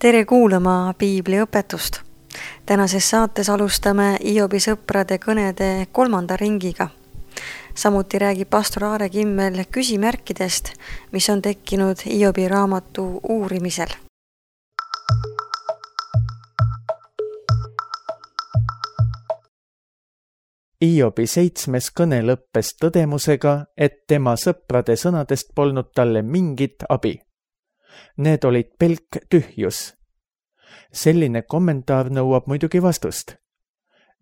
Tere kuulama piibliõpetust. Tänases saates alustame Hiobi sõprade kõnede 3. ringiga. Samuti räägib pastor Aare Kimmel küsimärkidest, mis on tekkinud Hiobi raamatu uurimisel. Hiobi 7. kõne lõppes tõdemusega, et tema sõprade sõnadest polnud talle mingit abi. Need olid pelk tühjus. Selline kommentaar nõuab muidugi vastust.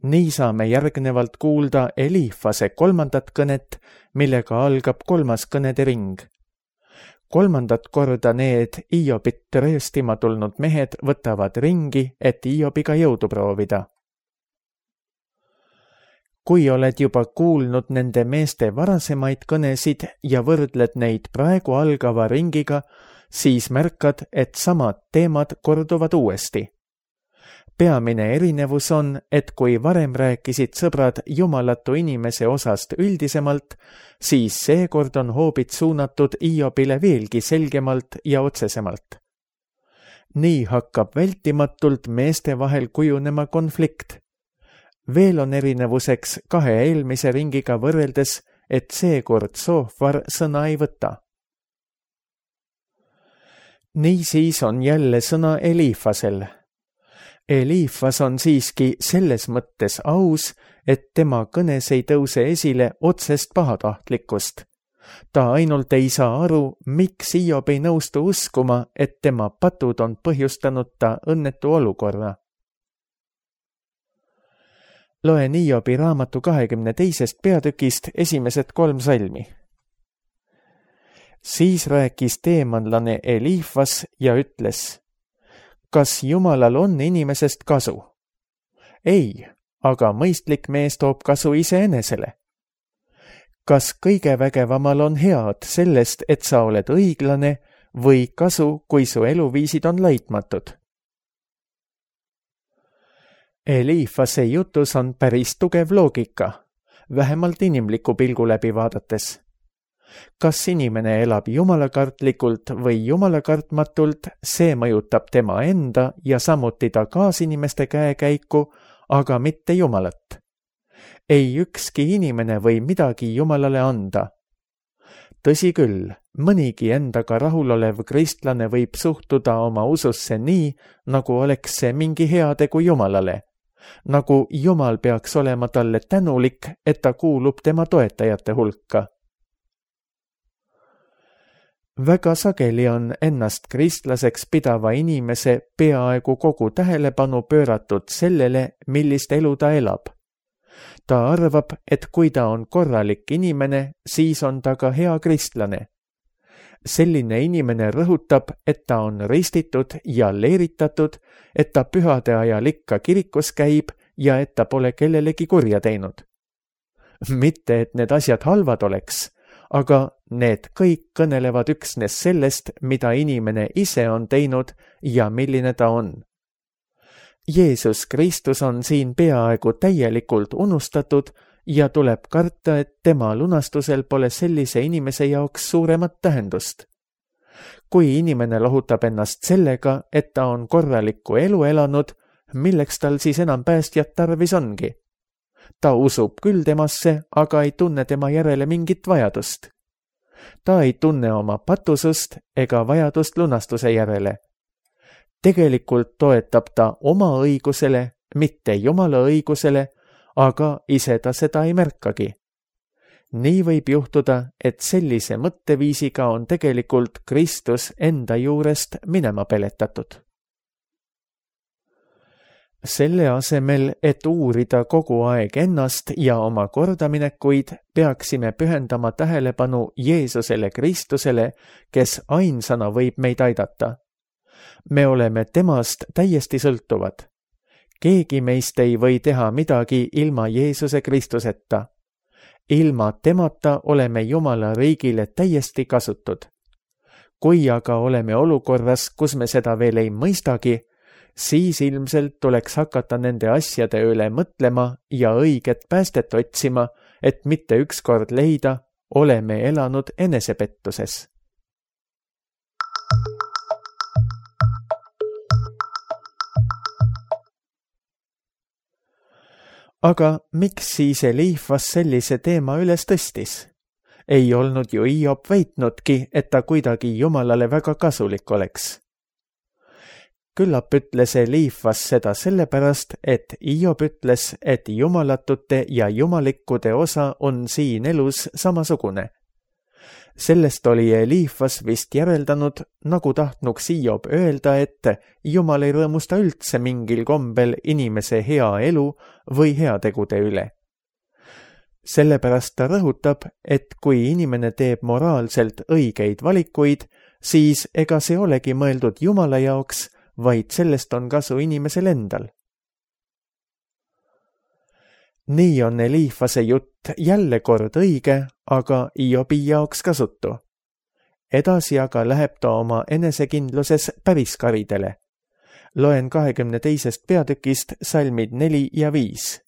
Nii saame järgnevalt kuulda Elifase 3. kõnet, millega algab 3. kõnede ring. 3. korda need Hiobit rööstima tulnud mehed võtavad ringi, et Hiobiga jõudu proovida. Kui oled juba kuulnud nende meeste varasemaid kõnesid ja võrdled neid praegu algava ringiga, siis märkad, et samad teemad korduvad uuesti. Peamine erinevus on, et kui varem rääkisid sõbrad jumalatu inimese osast üldisemalt, siis seekord on hoobid suunatud Hiobile veelgi selgemalt ja otsesemalt. Nii hakkab vältimatult meeste vahel kujunema konflikt. Veel on erinevuseks 2 eelmise ringiga võrreldes, et seekord Soofar sõna ei võta. Niisiis on jälle sõna Elifasel. Elifas on siiski selles mõttes aus, et tema kõnes ei tõuse esile otsest pahatahtlikkust. Ta ainult ei saa aru, miks Hiob ei nõustu uskuma, et tema patud on põhjustanud ta õnnetu olukorra. Loen Hiobi raamatu 22. peatükist esimesed 3 salmi. Siis rääkis teemanlane Elifas ja ütles: kas Jumalal on inimesest kasu? Ei, aga mõistlik mees toob kasu iseenesele. Kas kõige vägevamal on head sellest, et sa oled õiglane, või kasu, kui su eluviisid on laitmatud? Elifase jutus on päris tugev loogika, vähemalt inimliku pilgu läbi vaadates. Kas inimene elab jumalakartlikult või jumalakartmatult, see mõjutab tema enda ja samuti ta kaasinimeste käekäiku, aga mitte Jumalat. Ei ükski inimene või midagi Jumalale anda. Tõsi küll, mõnigi endaga rahulolev kristlane võib suhtuda oma ususse nii, nagu oleks see mingi heategu Jumalale. Nagu Jumal peaks olema talle tänulik, et ta kuulub tema toetajate hulka. Väga sageli on ennast kristlaseks pidava inimese peaaegu kogu tähelepanu pööratud sellele, millist elu ta elab. Ta arvab, et kui ta on korralik inimene, siis on ta ka hea kristlane. Selline inimene rõhutab, et ta on ristitud ja leeritatud, et ta pühade ajal ikka kirikus käib ja et ta pole kellelegi kurja teinud. Mitte, et need asjad halvad oleks, aga need kõik kõnelevad üksnes sellest, mida inimene ise on teinud ja milline ta on. Jeesus Kristus on siin peaaegu täielikult unustatud ja tuleb karta, et tema lunastusel pole sellise inimese jaoks suuremat tähendust. Kui inimene lohutab ennast sellega, et ta on korralikku elu elanud, milleks tal siis enam päästjat tarvis ongi? Ta usub küll temasse, aga ei tunne tema järele mingit vajadust. Ta ei tunne oma patusust ega vajadust lunastuse järele. Tegelikult toetab ta oma õigusele, mitte Jumala õigusele, aga ise ta seda ei märkagi. Nii võib juhtuda, et sellise mõtteviisiga on tegelikult Kristus enda juurest minema peletatud. Selle asemel, et uurida kogu aeg ennast ja oma kordaminekuid, peaksime pühendama tähelepanu Jeesusele Kristusele, kes ainsana võib meid aidata. Me oleme temast täiesti sõltuvad. Keegi meist ei või teha midagi ilma Jeesuse Kristuseta. Ilma temata oleme Jumala riigile täiesti kasutud. Kui aga oleme olukorras, kus me seda veel ei mõistagi, siis ilmselt tuleks hakata nende asjade üle mõtlema ja õiget päästet otsima, et mitte ükskord leida, oleme elanud enesepettuses. Aga miks siis Eliifas sellise teema üles tõstis? Ei olnud ju Hiob väitnudki, et ta kuidagi Jumalale väga kasulik oleks. Küllap ütles Eliifas seda sellepärast, et Hiob ütles, et jumalatute ja jumalikkude osa on siin elus samasugune. Sellest oli Eliifas vist järeldanud, nagu tahtnuks Hiob öelda, et Jumal ei rõõmusta üldse mingil kombel inimese hea elu või heategude üle. Sellepärast ta rõhutab, et kui inimene teeb moraalselt õigeid valikuid, siis ega see olegi mõeldud Jumala jaoks, vaid sellest on kasu inimesel endal. Nii on Eliifase jutt jälle kord õige, aga Hiobi jaoks kasutu. Edasi aga läheb ta oma enesekindluses päris karidele. Loen 22. peatükist salmid 4 ja 5.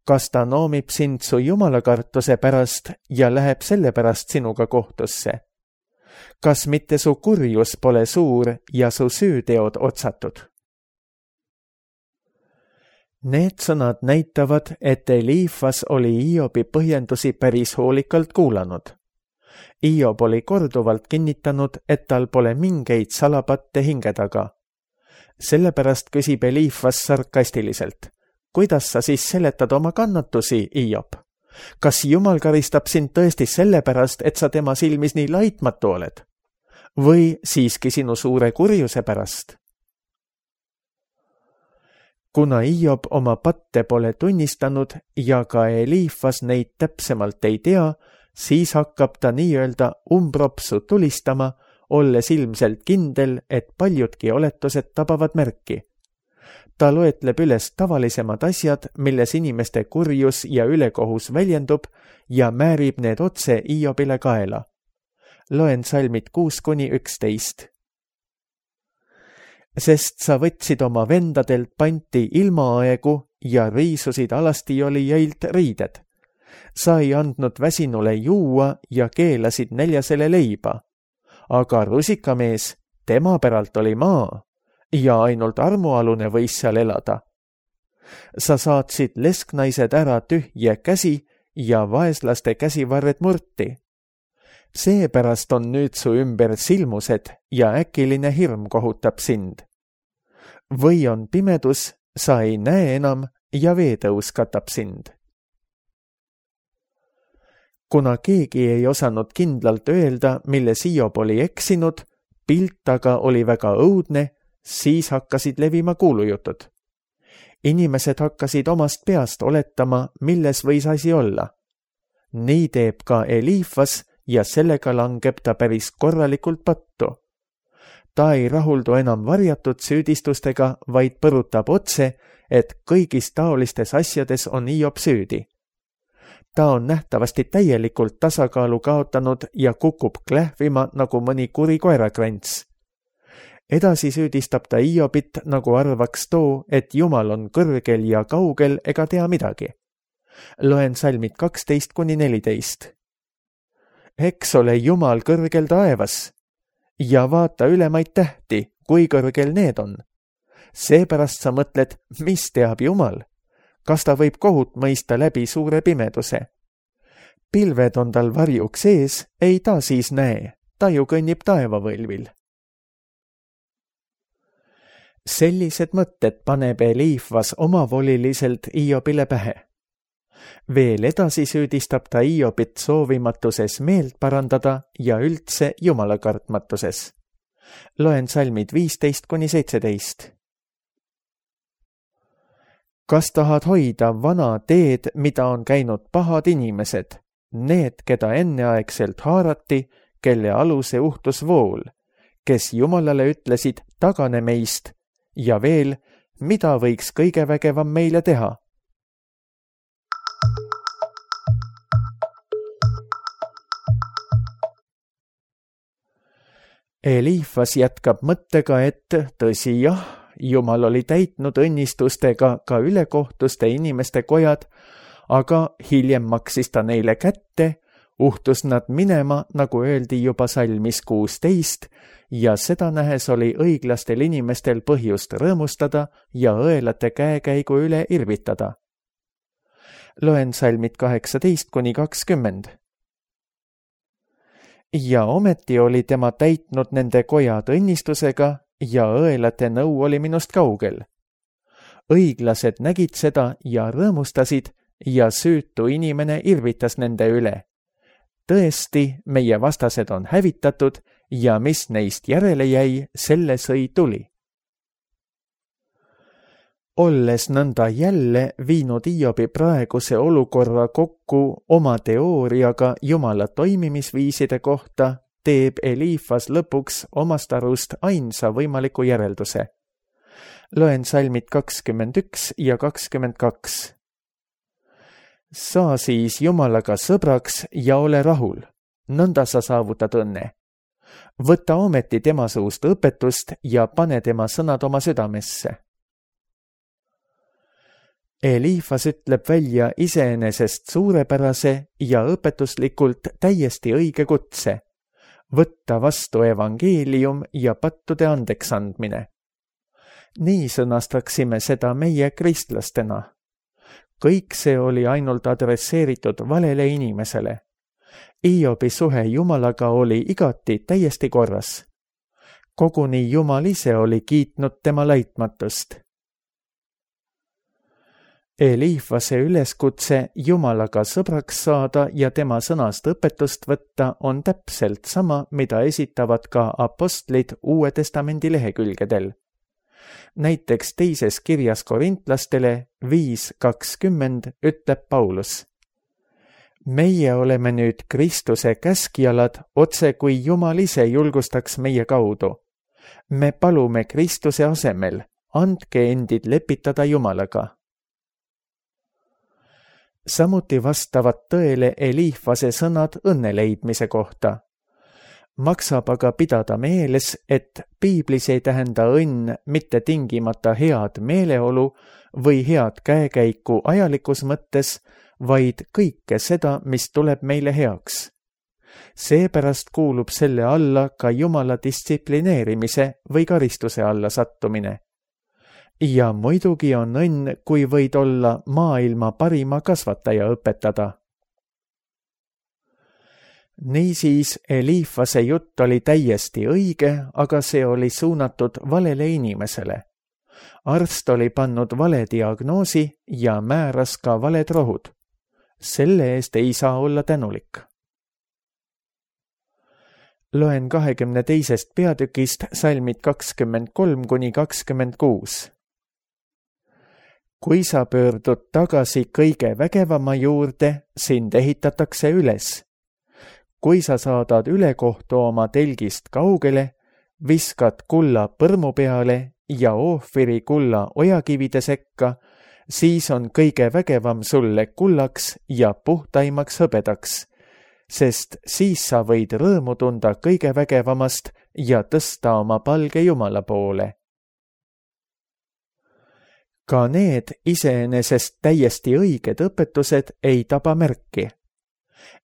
Kas ta noomib sind su jumalakartuse pärast ja läheb selle pärast sinuga kohtusse? Kas mitte su kurjus pole suur ja su süüteod otsatud? Need sõnad näitavad, et Eliifas oli Hiobi põhjendusi päris hoolikalt kuulanud. Hiob oli korduvalt kinnitanud, et tal pole mingeid salapatte hinge taga. Sellepärast küsib Eliifas sarkastiliselt. Kuidas sa siis seletad oma kannatusi, Hiob? Kas Jumal karistab sind tõesti sellepärast, et sa tema silmis nii laitmatu oled? Või siiski sinu suure kurjuse pärast? Kuna Hiob oma patte pole tunnistanud ja ka Eliifas neid täpsemalt ei tea, siis hakkab ta nii-öelda umbropsu tulistama, olles ilmselt kindel, et paljudki oletused tabavad märki. Ta loetleb üles tavalisemad asjad, milles inimeste kurjus ja ülekohus väljendub ja määrib need otse Hiobile kaela. Loen salmid 6-11. Sest sa võtsid oma vendadelt panti ilmaaegu ja riisusid alastijolijailt riided. Sa ei andnud väsinule juua ja keelasid näljasele leiba. Aga rusikamees, tema päralt oli maa ja ainult armualune võis seal elada. Sa saatsid lesknaised ära tühje käsi ja vaeslaste käsivarred murti. Seepärast on nüüd su ümber silmused ja äkiline hirm kohutab sind. Või on pimedus, sa ei näe enam ja veetõus katab sind. Kuna keegi ei osanud kindlalt öelda, milles Hiob oli eksinud, pilt aga oli väga õudne, siis hakkasid levima kuulujutud. Inimesed hakkasid omast peast oletama, milles võis asi olla. Nii teeb ka Eliifas ja sellega langeb ta päris korralikult pattu. Ta ei rahuldu enam varjatud süüdistustega, vaid põrutab otse, et kõigis taolistes asjades on Hiob süüdi. Ta on nähtavasti täielikult tasakaalu kaotanud ja kukub klähvima nagu mõni kuri koerakrants. Edasi süüdistab ta Hiobit, nagu arvaks too, et Jumal on kõrgel ja kaugel ega tea midagi. Loen salmid 12-14. Eks ole Jumal kõrgel taevas ja vaata ülemaid tähti, kui kõrgel need on. Seepärast sa mõtled, mis teab Jumal? Kas ta võib kohut mõista läbi suure pimeduse? Pilved on tal varjuks ees, ei ta siis näe, ta ju kõnnib taevavõlvil. Sellised mõtted paneb Eliifas omavoliliselt Hiobile pähe. Veel edasi süüdistab ta Hiobit soovimatuses meelt parandada ja üldse jumalakartmatuses. Loen salmid 15-17. Kas tahad hoida vana teed, mida on käinud pahad inimesed, need, keda enneaegselt haarati, kelle aluse uhtus vool, kes Jumalale ütlesid, tagane meist, ja veel, mida võiks kõige vägevam meile teha? Eliifas jätkab mõttega, et tõsi jah, Jumal oli täitnud õnnistustega ka ülekohtuste inimeste kojad, aga hiljem maksis ta neile kätte, uhtus nad minema, nagu öeldi juba salmis 16, ja seda nähes oli õiglastel inimestel põhjust rõõmustada ja õelate käekäigu üle irvitada. Loen salmid 18-20. Ja ometi oli tema täitnud nende kojad õnnistusega ja õelate nõu oli minust kaugel. Õiglased nägid seda ja rõõmustasid ja süütu inimene irvitas nende üle. Tõesti, meie vastased on hävitatud ja mis neist järele jäi, selle sõi tuli. Olles nõnda jälle viinud Hiobi praeguse olukorra kokku oma teooriaga Jumala toimimisviiside kohta, teeb Eliifas lõpuks omast arust ainsa võimaliku järelduse. Loen salmid 21 ja 22. Saa siis Jumalaga sõbraks ja ole rahul, nõnda sa saavutad õnne. Võta ometi tema suust õpetust ja pane tema sõnad oma südamesse. Eliifas ütleb välja iseenesest suurepärase ja õpetuslikult täiesti õige kutse, võtta vastu evangeelium ja pattude andeks andmine. Nii sõnastaksime seda meie kristlastena. Kõik see oli ainult adresseeritud valele inimesele. Hiobi suhe Jumalaga oli igati täiesti korras. Koguni Jumal ise oli kiitnud tema laitmatust. Eliifase üleskutse Jumalaga sõbraks saada ja tema sõnast õpetust võtta on täpselt sama, mida esitavad ka apostlid Uue Testamendi lehekülgedel. Näiteks teises kirjas korintlastele 5:20 ütleb Paulus: meie oleme nüüd Kristuse käskjalad, otse kui Jumal ise julgustaks meie kaudu. Me palume Kristuse asemel, andke endid lepitada Jumalaga. Samuti vastavad tõele Eliifase sõnad õnne leidmise kohta. Maksab aga pidada meeles, et piiblis ei tähenda õnn mitte tingimata head meeleolu või head käekäiku ajalikus mõttes, vaid kõike seda, mis tuleb meile heaks. Seepärast kuulub selle alla ka Jumala distsiplineerimise või karistuse alla sattumine. Ja muidugi on õnn, kui võid olla maailma parima kasvataja õpetada. Niisiis Eliifase jutt oli täiesti õige, aga see oli suunatud valele inimesele. Arst oli pannud vale diagnoosi ja määras ka valed rohud. Selle eest ei saa olla tänulik. Loen 22. peatükist salmid 23-26. Kui sa pöördud tagasi kõige vägevama juurde, sind ehitatakse üles. Kui sa saadad ülekohtu oma telgist kaugele, viskad kulla põrmu peale ja Oofiri kulla ojakivide sekka, siis on kõige vägevam sulle kullaks ja puhtaimaks hõbedaks, sest siis sa võid rõõmu tunda kõige vägevamast ja tõsta oma palge Jumala poole. Ka need iseenesest täiesti õiged õpetused ei taba märki.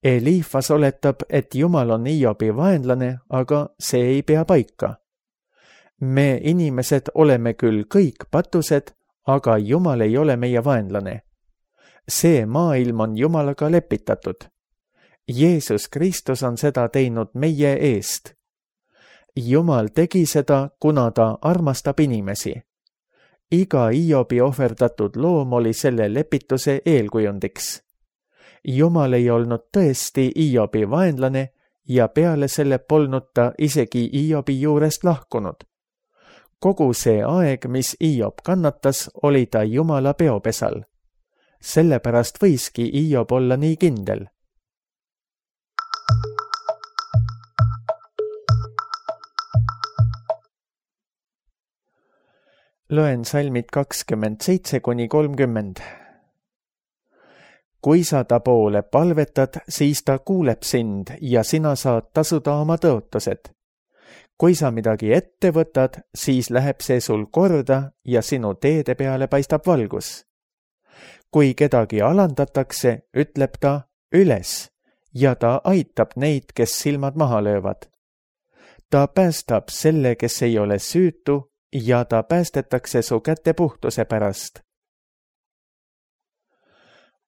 Eliifas oletab, et Jumal on Hiobi vaenlane, aga see ei pea paika. Me inimesed oleme küll kõik patused, aga Jumal ei ole meie vaenlane. See maailm on Jumalaga lepitatud. Jeesus Kristus on seda teinud meie eest. Jumal tegi seda, kuna ta armastab inimesi. Iga Hiobi ohverdatud loom oli selle lepituse eelkujundiks. Jumal ei olnud tõesti Hiobi vaenlane ja peale selle polnud ta isegi Hiobi juurest lahkunud. Kogu see aeg, mis Hiob kannatas, oli ta Jumala peopesal. Sellepärast võiski Hiob olla nii kindel. Loen salmid 27-30. Kui sa ta poole palvetad, siis ta kuuleb sind ja sina saad tasuda oma tõotused. Kui sa midagi ette võtad, siis läheb see sul korda ja sinu teede peale paistab valgus. Kui kedagi alandatakse, ütleb ta üles ja ta aitab neid, kes silmad maha löövad. ta päästab selle, kes ei ole süütu ja ta päästetakse su käte puhtuse pärast.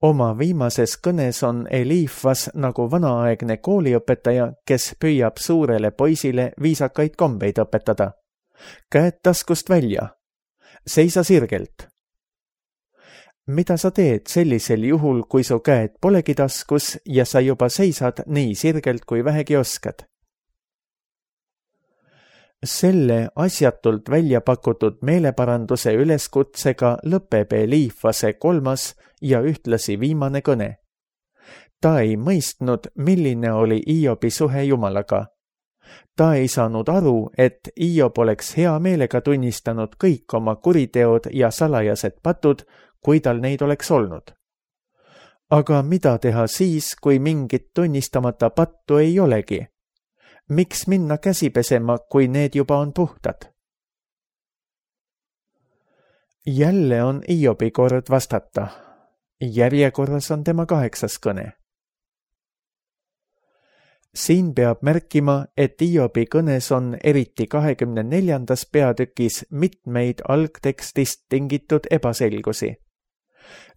Oma viimases kõnes on Eliifas nagu vanaaegne kooliõpetaja, kes püüab suurele poisile viisakaid kombeid õpetada. Käed taskust välja. Seisa sirgelt. Mida sa teed sellisel juhul, kui su käed polegi taskus ja sa juba seisad nii sirgelt, kui vähegi oskad? Selle asjatult välja pakutud meeleparanduse üleskutsega lõpeb Eliifase 3. ja ühtlasi viimane kõne. Ta ei mõistnud, milline oli Iobi suhe Jumalaga. Ta ei saanud aru, et Iob oleks hea meelega tunnistanud kõik oma kuriteod ja salajased patud, kui tal neid oleks olnud. Aga mida teha siis, kui mingit tunnistamata pattu ei olegi? Miks minna käsi pesema, kui need juba on puhtad? Jälle on Iobi kord vastata. Järjekorras on tema 8. kõne. Siin peab märkima, et Iobi kõnes on eriti 24. peatükis mitmeid algtekstist tingitud ebaselgusi.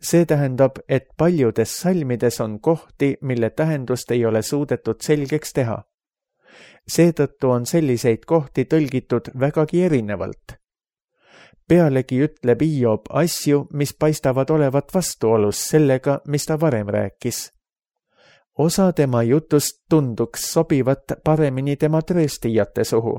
See tähendab, et paljudes salmides on kohti, mille tähendust ei ole suudetud selgeks teha. Seetõttu on selliseid kohti tõlgitud vägagi erinevalt. Pealegi ütleb Iob asju, mis paistavad olevat vastuolus sellega, mis ta varem rääkis. Osa tema jutust tunduks sobivat paremini tema trööstijate suhu.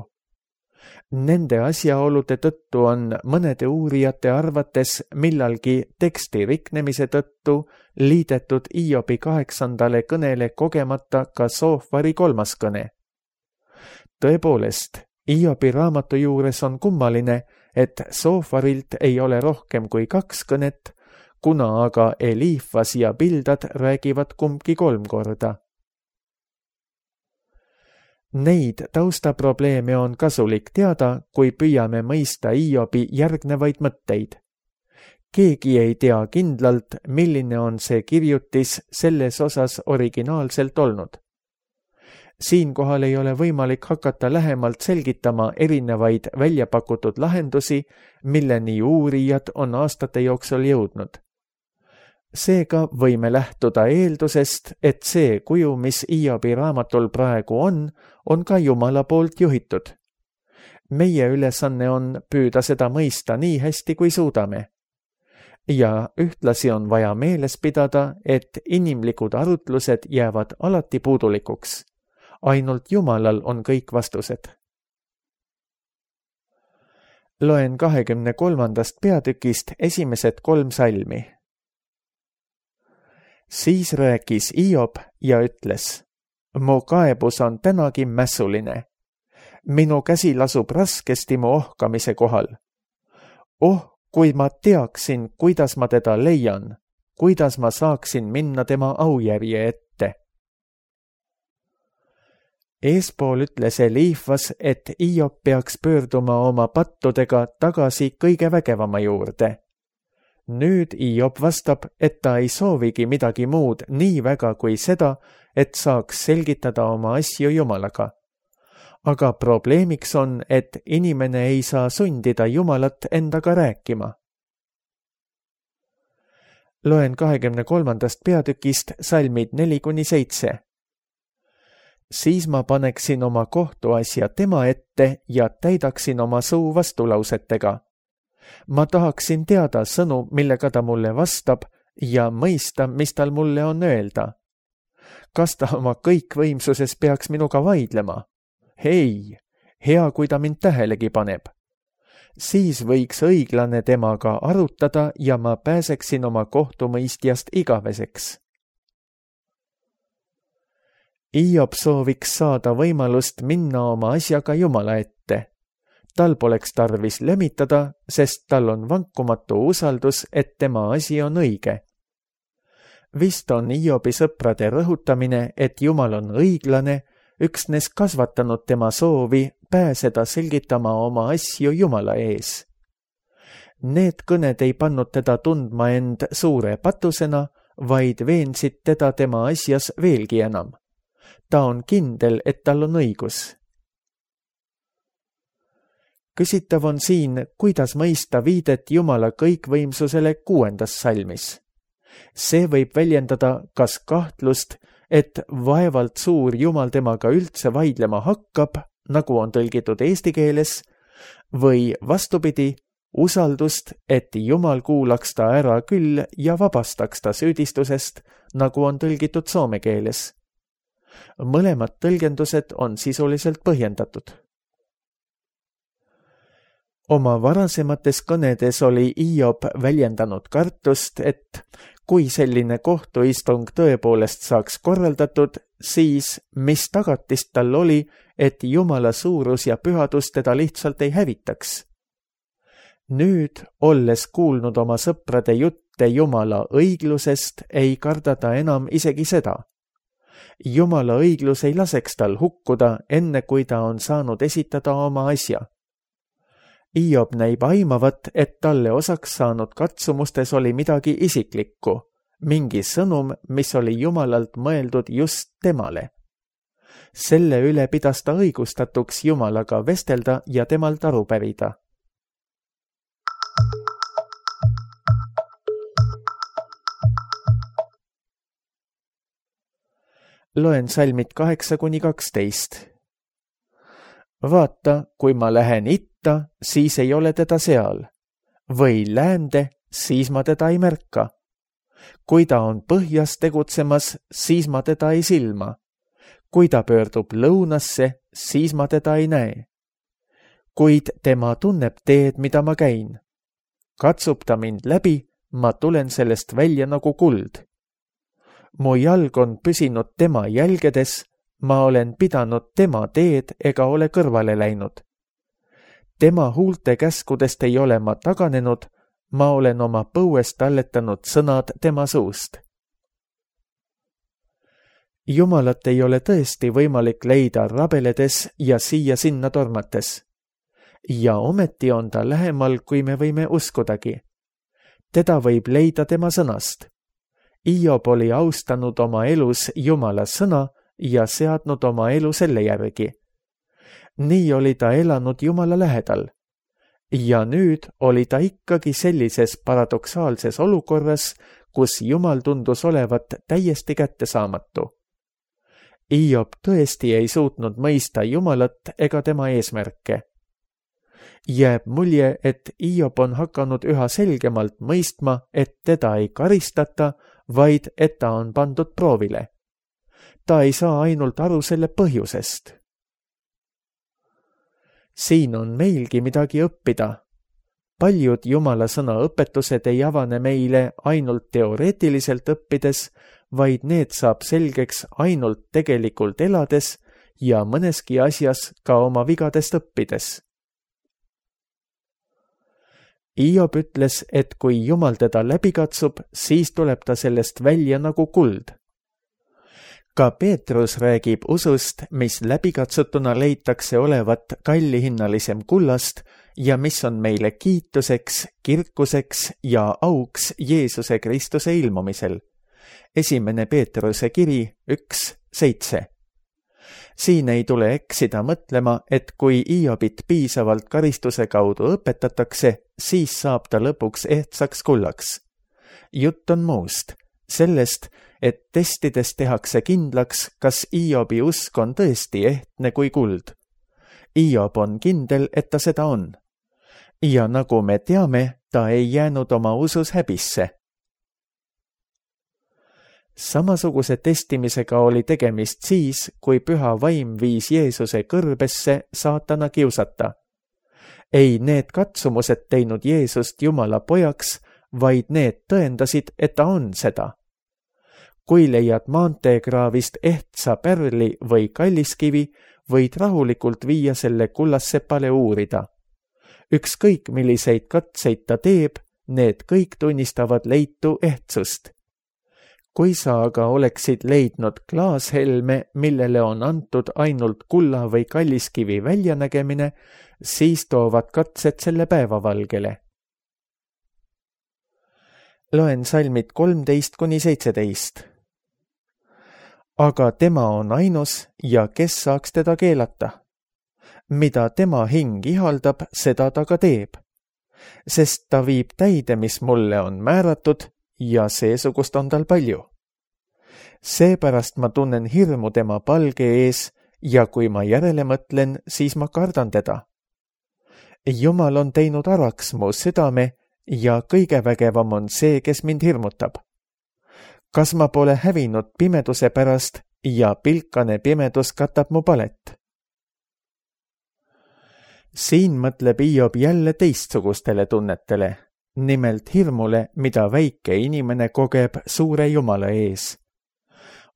Nende asjaolude tõttu on mõnede uurijate arvates millalgi teksti riknemise tõttu liidetud Iobi 8. kõnele kogemata ka Soofari 3. kõne. Tõepoolest, Iobi raamatu juures on kummaline, et Soofarilt ei ole rohkem kui 2 kõnet, kuna aga Eliifas ja Bildad räägivad kumbki 3 korda. Neid taustaprobleeme on kasulik teada, kui püüame mõista Iobi järgnevaid mõtteid. Keegi ei tea kindlalt, milline on see kirjutis selles osas originaalselt olnud. Siinkohal ei ole võimalik hakata lähemalt selgitama erinevaid väljapakutud lahendusi, milleni uurijad on aastate jooksul jõudnud. Seega võime lähtuda eeldusest, et see kuju, mis Iobi raamatul praegu on ka Jumala poolt juhitud. Meie ülesanne on püüda seda mõista nii hästi, kui suudame. Ja ühtlasi on vaja meeles pidada, et inimlikud arutlused jäävad alati puudulikuks. Ainult Jumalal on kõik vastused. Loen 23. peatükist esimesed 3 salmi. Siis rääkis Iob ja ütles, mu kaebus on tänagi mässuline. Minu käsi lasub raskesti mu ohkamise kohal. Kui ma teaksin, kuidas ma teda leian, kuidas ma saaksin minna tema aujärje ette. Eespool ütles Eliifas, et Iob peaks pöörduma oma pattudega tagasi kõige vägevama juurde. Nüüd Iob vastab, et ta ei soovigi midagi muud nii väga kui seda, et saaks selgitada oma asju Jumalaga. Aga probleemiks on, et inimene ei saa sundida Jumalat endaga rääkima. Loen 23. peatükist salmid 4-7. Siis ma paneksin oma kohtuasja tema ette ja täidaksin oma suu vastulausetega. Ma tahaksin teada sõnu, millega ta mulle vastab ja mõista, mis tal mulle on öelda. Kas ta oma kõikvõimsuses peaks minuga vaidlema? Ei, hea, kui ta mind tähelegi paneb. Siis võiks õiglane temaga arutada ja ma pääseksin oma kohtumõistjast igaveseks. Iob sooviks saada võimalust minna oma asjaga Jumala ette. Tal poleks tarvis lömitada, sest tal on vankumatu usaldus, et tema asi on õige. Vist on Iobi sõprade rõhutamine, et Jumal on õiglane, üksnes kasvatanud tema soovi pääseda selgitama oma asju Jumala ees. Need kõned ei pannud teda tundma end suure patusena, vaid veensid teda tema asjas veelgi enam. Ta on kindel, et tal on õigus. Küsitav on siin, kuidas mõista viidet Jumala kõikvõimsusele 6. salmis. See võib väljendada kas kahtlust, et vaevalt suur Jumal temaga üldse vaidlema hakkab, nagu on tõlgitud eesti keeles, või vastupidi, usaldust, et Jumal kuulaks ta ära küll ja vabastaks ta süüdistusest, nagu on tõlgitud soome keeles. Mõlemad tõlgendused on sisuliselt põhjendatud. Oma varasemates kõnedes oli Hiob väljendanud kartust, et kui selline kohtuistung tõepoolest saaks korraldatud, siis mis tagatist tal oli, et Jumala suurus ja pühadus teda lihtsalt ei hävitaks. Nüüd, olles kuulnud oma sõprade jutte Jumala õiglusest, ei karda ta enam isegi seda. Jumala õiglus ei laseks tal hukkuda, enne kui ta on saanud esitada oma asja. Hiob näib aimavat, et talle osaks saanud katsumustes oli midagi isiklikku, mingi sõnum, mis oli Jumalalt mõeldud just temale. Selle üle pidas ta õigustatuks Jumalaga vestelda ja temalt aru pärida. Loen salmid 8-12. Vaata, kui ma lähen itta, siis ei ole teda seal. Või läände, siis ma teda ei märka. Kui ta on põhjas tegutsemas, siis ma teda ei silma. Kui ta pöördub lõunasse, siis ma teda ei näe. Kuid tema tunneb teed, mida ma käin. Katsub ta mind läbi, ma tulen sellest välja nagu kuld. Mu jalg on püsinud tema jälgedes, ma olen pidanud tema teed ega ole kõrvale läinud. Tema huulte käskudest ei ole ma taganenud, ma olen oma põuest talletanud sõnad tema suust. Jumalat ei ole tõesti võimalik leida rabeledes ja siia-sinna tormates. Ja ometi on ta lähemal, kui me võime uskudagi. Teda võib leida tema sõnast. Hiob oli austanud oma elus Jumala sõna ja seadnud oma elu selle järgi. Nii oli ta elanud Jumala lähedal. Ja nüüd oli ta ikkagi sellises paradoksaalses olukorras, kus Jumal tundus olevat täiesti kättesaamatu. Hiob tõesti ei suutnud mõista Jumalat ega tema eesmärke. Jääb mulje, et Hiob on hakanud üha selgemalt mõistma, et teda ei karistata, vaid et ta on pandud proovile. Ta ei saa ainult aru selle põhjusest. Siin on meilgi midagi õppida. Paljud Jumala sõna õpetused ei avane meile ainult teoreetiliselt õppides, vaid need saab selgeks ainult tegelikult elades ja mõneski asjas ka oma vigadest õppides. Hiob ütles, et kui Jumal teda läbi katsub, siis tuleb ta sellest välja nagu kuld. Ka Peetrus räägib usust, mis läbikatsutuna leitakse olevat kallihinnalisem kullast ja mis on meile kiituseks, kirkuseks ja auks Jeesuse Kristuse ilmumisel. 1. Peetruse kiri 1:7. Siin ei tule eksida mõtlema, et kui Hiobit piisavalt karistuse kaudu õpetatakse, siis saab ta lõpuks ehtsaks kullaks. Jutt on muust, sellest, et testides tehakse kindlaks, kas Hiobi usk on tõesti ehtne kui kuld. Hiob on kindel, et ta seda on. Ja nagu me teame, ta ei jäänud oma usus häbisse. Samasuguse testimisega oli tegemist siis, kui püha vaim viis Jeesuse kõrbesse saatana kiusata. Ei need katsumused teinud Jeesust Jumala pojaks, vaid need tõendasid, et ta on seda. Kui leiad maanteekraavist ehtsa pärli või kalliskivi, võid rahulikult viia selle kullassepale uurida. Ükskõik milliseid katseid ta teeb, need kõik tunnistavad leitu ehtsust. Kui sa aga oleksid leidnud klaashelme, millele on antud ainult kulla või kalliskivi väljanägemine, siis toovad katsed selle päevavalgele. Loen salmid 13-17. Aga tema on ainus ja kes saaks teda keelata? Mida tema hing ihaldab, seda ta ka teeb. Sest ta viib täide, mis mulle on määratud ja seesugust on tal palju. Seepärast ma tunnen hirmu tema palge ees ja kui ma järele mõtlen, siis ma kardan teda. Jumal on teinud araks mu südame ja kõige vägevam on see, kes mind hirmutab. Kas ma pole hävinud pimeduse pärast ja pilkane pimedus katab mu palet? Siin mõtleb Hiob jälle teistsugustele tunnetele, nimelt hirmule, mida väike inimene kogeb suure Jumala ees.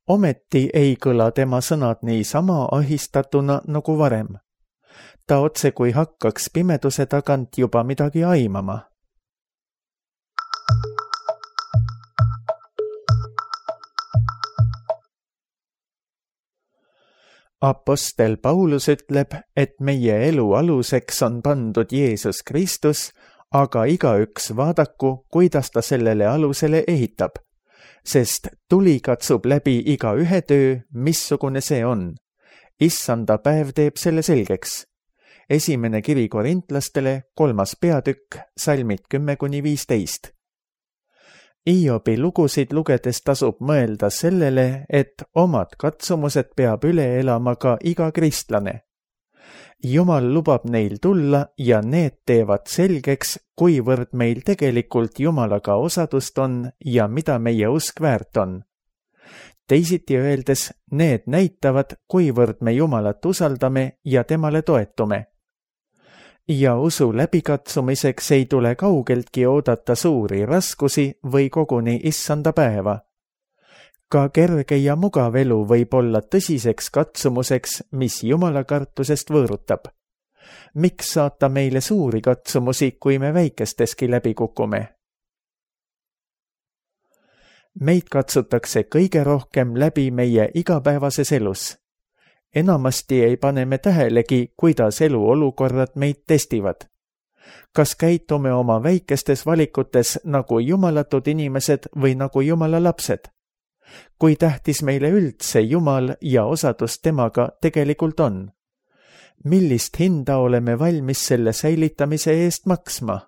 Ometi ei kõla tema sõnad niisama ahistatuna nagu varem. Ta otse kui hakkaks pimeduse tagant juba midagi aimama. Apostel Paulus ütleb, et meie elu aluseks on pandud Jeesus Kristus, aga igaüks vaadaku, kuidas ta sellele alusele ehitab, sest tuli katsub läbi iga ühe töö, missugune see on. Issanda päev teeb selle selgeks. Esimene kiri korintlastele, 3. peatükk, salmid 10-15. Hiobi lugusid lugedes tasub mõelda sellele, et omad katsumused peab üle elama ka iga kristlane. Jumal lubab neil tulla ja need teevad selgeks, kuivõrd meil tegelikult Jumalaga osadust on ja mida meie usk väärt on. Teisiti öeldes, need näitavad, kuivõrd me Jumalat usaldame ja temale toetume. Ja usu läbikatsumiseks ei tule kaugeltki oodata suuri raskusi või koguni issanda päeva. Ka kerge ja mugav elu võib olla tõsiseks katsumuseks, mis Jumala kartusest võõrutab. Miks saata meile suuri katsumusi, kui me väikesteski läbi kukume? Meid katsutakse kõige rohkem läbi meie igapäevases elus. Enamasti ei pane me tähelegi, kuidas eluolukorrad meid testivad. Kas käitume oma väikestes valikutes nagu jumalatud inimesed või nagu Jumala lapsed? Kui tähtis meile üldse Jumal ja osadus temaga tegelikult on? Millist hinda oleme valmis selle säilitamise eest maksma?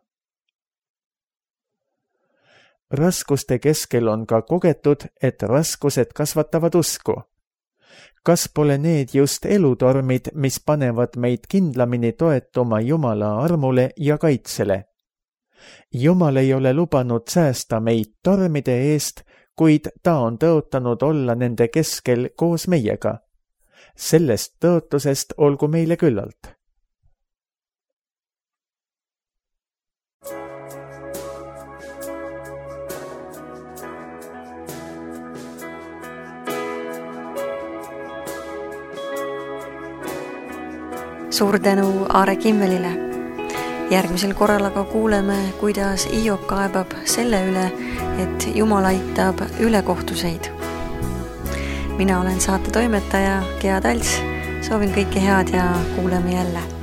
Raskuste keskel on ka kogetud, et raskused kasvatavad usku. Kas pole need just elutormid, mis panevad meid kindlamini toetuma Jumala armule ja kaitsele? Jumal ei ole lubanud säästa meid tormide eest, kuid ta on tõotanud olla nende keskel koos meiega. Sellest tõotusest olgu meile küllalt. Suur tänu Aare Kimmelile. Järgmisel korral aga kuuleme, kuidas Hiob kaebab selle üle, et Jumal aitab ülekohtuseid. Mina olen saate toimetaja Gea Talts. Soovin kõike head ja kuuleme jälle.